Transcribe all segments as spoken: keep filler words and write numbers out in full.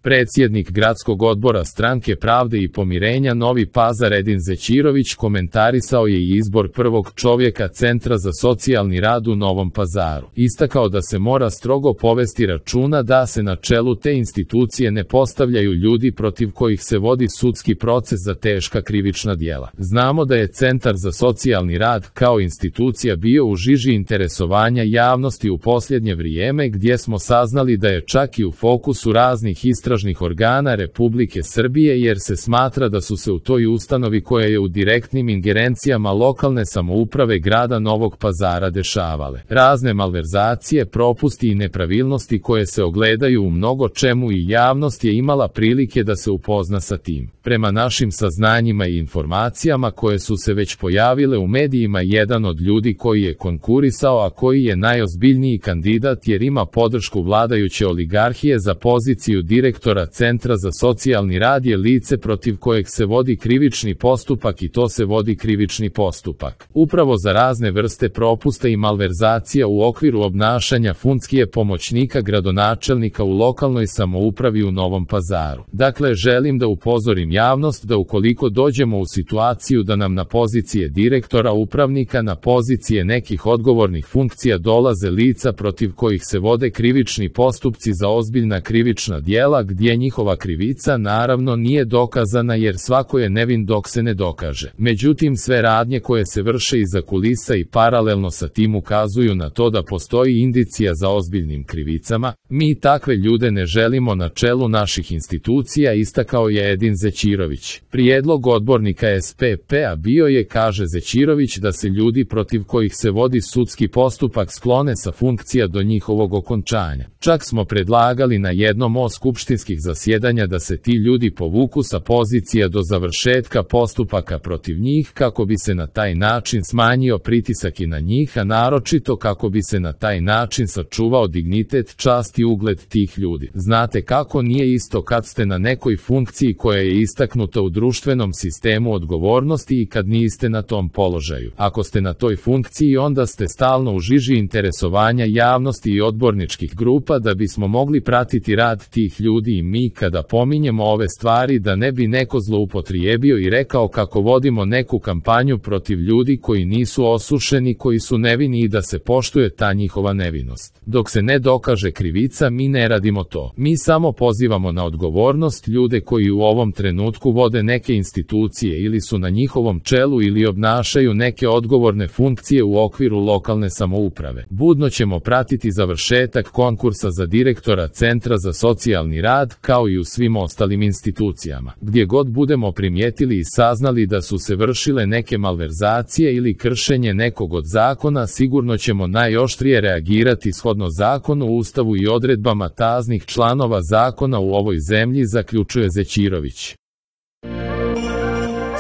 Predsjednik gradskog odbora Stranke pravde i pomirenja Novi Pazar Edin Zećirović komentarisao je i izbor prvog čovjeka Centra za socijalni rad u Novom Pazaru. Istakao da se mora strogo povesti računa da se na čelu te institucije ne postavljaju ljudi protiv kojih se vodi sudski proces za teška krivična djela. Znamo da je Centar za socijalni rad kao institucija bio u žiži interesovanja javnosti u posljednje vrijeme, gdje smo saznali da je čak i u fokusu raznih istražnih organa Republike Srbije, jer se smatra da su se u toj ustanovi, koja je u direktnim ingerencijama lokalne samouprave grada Novog Pazara, dešavale razne malverzacije, propusti i nepravilnosti koje se ogledaju u mnogo čemu i javnost je imala prilike da se upozna sa tim. Prema našim saznanjima i informacijama koje su se već pojavile u medijima, jedan od ljudi koji je konkurisao, a koji je najozbiljniji kandidat jer ima podršku vladajuće oligarhije za poziciju direktora Centra za socijalni rad, je lice protiv kojeg se vodi krivični postupak, i to se vodi krivični postupak upravo za razne vrste propusta i malverzacija u okviru obnašanja funkcije pomoćnika gradonačelnika u lokalnoj samoupravi u Novom Pazaru. Dakle, želim da upozorim javnost da ukoliko dođemo u situaciju da nam na pozicije direktora, upravnika, na pozicije nekih odgovornih funkcija dolaze lica protiv kojih se vode krivični postupci za ozbiljna krivična djela, gdje njihova krivica naravno nije dokazana, jer svako je nevin dok se ne dokaže. Međutim, sve radnje koje se vrše iza kulisa i paralelno sa tim ukazuju na to da postoji indicija za ozbiljnim krivicama. Mi takve ljude ne želimo na čelu naših institucija, istakao je Edin Zećirović. Prijedlog odbornika S P P-a bio je, kaže Zećirović, da se ljudi protiv kojih se vodi sudski postupak sklone sa funkcija do njihovog okončanja. Čak smo predlagali na jednom od skupštinskih zasjedanja da se ti ljudi povuku sa pozicija do završetka postupaka protiv njih, kako bi se na taj način smanjio pritisak i na njih, a naročito kako bi se na taj način sačuvao dignitet, čast i ugled tih ljudi. Znate kako, nije isto kad ste na nekoj funkciji koja je istaknuta u društvenom sistemu odgovornosti i kad niste na tom položaju. Ako ste na toj funkciji, onda ste stalno u žiži interesovanja javnosti i odborničkih grupa da bismo mogli pratiti rad tih ljudi, i mi kada pominjemo ove stvari da ne bi neko zloupotrijebio i rekao kako vodimo neku kampanju protiv ljudi koji nisu osušeni, koji su nevini, i da se poštuje ta njihova nevinost. Dok se ne dokaže krivica, mi ne radimo to. Mi samo pozivamo na odgovornost ljude koji u ovom trenutku vode neke institucije ili su na njihovom čelu ili obnašaju neke odgovorne funkcije u okviru lokalne samouprave. Budno ćemo pratiti završetak konkursa za direktora Centra za socijalni rad, kao i u svim ostalim institucijama. Gdje god budemo primijetili i saznali da su se vršile neke malverzacije ili kršenje nekog od zakona, sigurno ćemo najoštrije reagirati shodno zakonu, Ustavu i odredbama taznih članova zakona u ovoj zemlji, zaključuje Zećirović.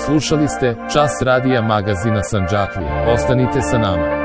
Slušali ste Čas radija magazina Sandžaklija. Ostanite sa nama.